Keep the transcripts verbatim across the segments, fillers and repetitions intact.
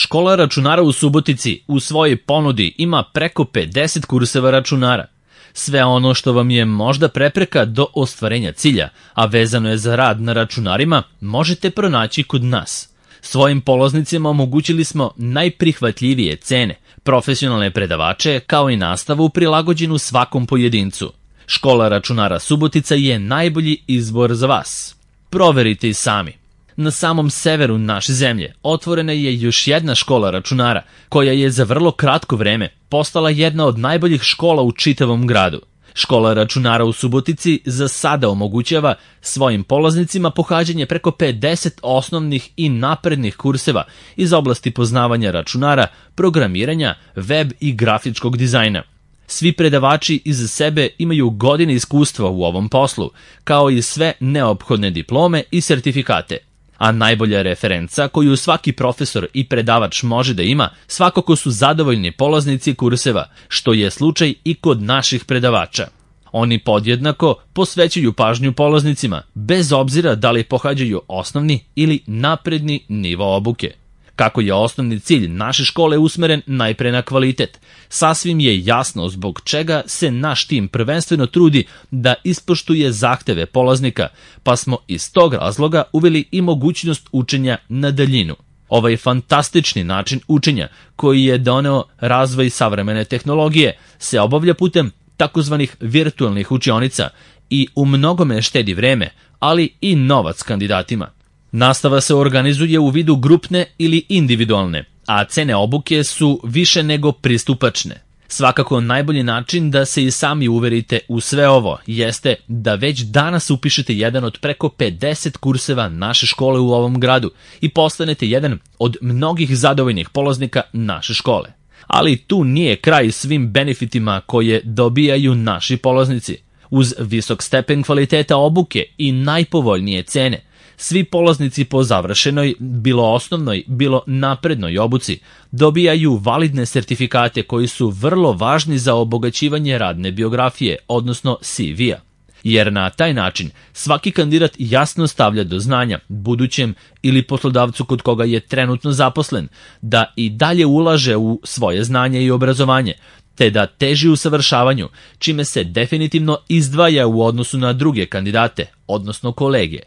Škola računara u Subotici u svojoj ponudi ima preko pedeset kurseva računara. Sve ono što vam je možda prepreka do ostvarenja cilja, a vezano je za rad na računarima, možete pronaći kod nas. Svojim polaznicima omogućili smo najprihvatljivije cene, profesionalne predavače kao i nastavu prilagođenu svakom pojedincu. Škola računara Subotica je najbolji izbor za vas. Proverite i sami. Na samom severu naše zemlje otvorena je još jedna škola računara, koja je za vrlo kratko vreme postala jedna od najboljih škola u čitavom gradu. Škola računara u Subotici za sada omogućava svojim polaznicima pohađanje preko pedeset osnovnih i naprednih kurseva iz oblasti poznavanja računara, programiranja, web i grafičkog dizajna. Svi predavači iza sebe imaju godine iskustva u ovom poslu, kao i sve neophodne diplome i sertifikate. A najbolja referenca koju svaki profesor i predavač može da ima svakako su zadovoljni polaznici kurseva, što je slučaj i kod naših predavača. Oni podjednako posvećuju pažnju polaznicima, bez obzira da li pohađaju osnovni ili napredni nivo obuke. Kako je osnovni cilj naše škole usmeren najpre na kvalitet, sasvim je jasno zbog čega se naš tim prvenstveno trudi da ispoštuje zahteve polaznika, pa smo iz tog razloga uveli i mogućnost učenja na daljinu. Ovaj fantastični način učenja, koji je doneo razvoj savremene tehnologije, se obavlja putem takozvanih virtualnih učionica i u mnogome štedi vreme, ali i novac kandidatima. Nastava se organizuje u vidu grupne ili individualne, a cene obuke su više nego pristupačne. Svakako najbolji način da se i sami uverite u sve ovo jeste da već danas upišete jedan od preko pedeset kurseva naše škole u ovom gradu i postanete jedan od mnogih zadovoljnih polaznika naše škole. Ali tu nije kraj svim benefitima koje dobijaju naši polaznici. Uz visok stepen kvaliteta obuke i najpovoljnije cene, svi polaznici po završenoj, bilo osnovnoj, bilo naprednoj obuci, dobijaju validne sertifikate koji su vrlo važni za obogaćivanje radne biografije, odnosno C V-a. Jer na taj način svaki kandidat jasno stavlja do znanja budućem ili poslodavcu kod koga je trenutno zaposlen da i dalje ulaže u svoje znanje i obrazovanje, te da teži usavršavanju, čime se definitivno izdvaja u odnosu na druge kandidate, odnosno kolege.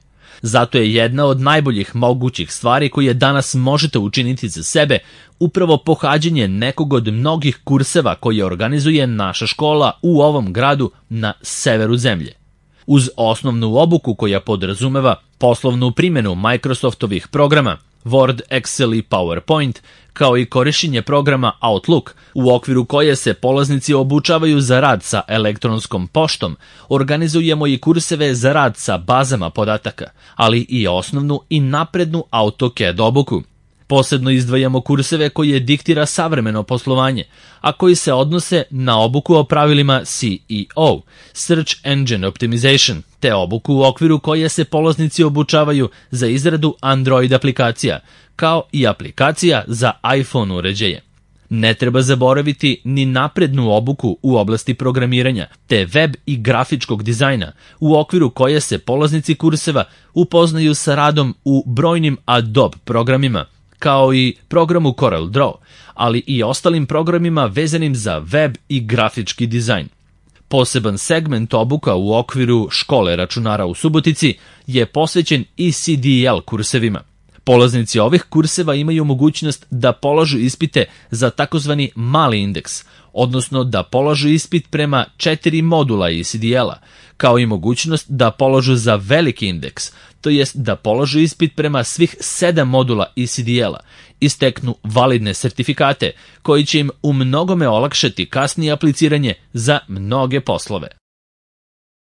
Zato je jedna od najboljih mogućih stvari koje danas možete učiniti za sebe upravo pohađanje nekog od mnogih kurseva koje organizuje naša škola u ovom gradu na severu zemlje. Uz osnovnu obuku koja podrazumeva poslovnu primjenu Microsoftovih programa Word, Excel i PowerPoint, kao i korišćenje programa Outlook, u okviru koje se polaznici obučavaju za rad sa elektronskom poštom, organizujemo i kurseve za rad sa bazama podataka, ali i osnovnu i naprednu AutoCAD obuku. Posebno izdvajamo kurseve koje diktira savremeno poslovanje, a koji se odnose na obuku o pravilima C E O, Search Engine Optimization, te obuku u okviru koje se polaznici obučavaju za izradu Android aplikacija, kao i aplikacija za iPhone uređaje. Ne treba zaboraviti ni naprednu obuku u oblasti programiranja, te web i grafičkog dizajna, u okviru koje se polaznici kurseva upoznaju sa radom u brojnim Adobe programima, kao i programu Corel Draw, ali i ostalim programima vezanim za web i grafički dizajn. Poseban segment obuka u okviru škole računara u Subotici je posvećen i C D L kursevima. Polaznici ovih kurseva imaju mogućnost da polažu ispite za takozvani mali indeks, odnosno da polažu ispit prema četiri modula I C D L-a, kao i mogućnost da polažu za veliki indeks, to jest da polažu ispit prema svih sedam modula I C D L-a i steknu validne sertifikate koji će im u mnogome olakšati kasnije apliciranje za mnoge poslove.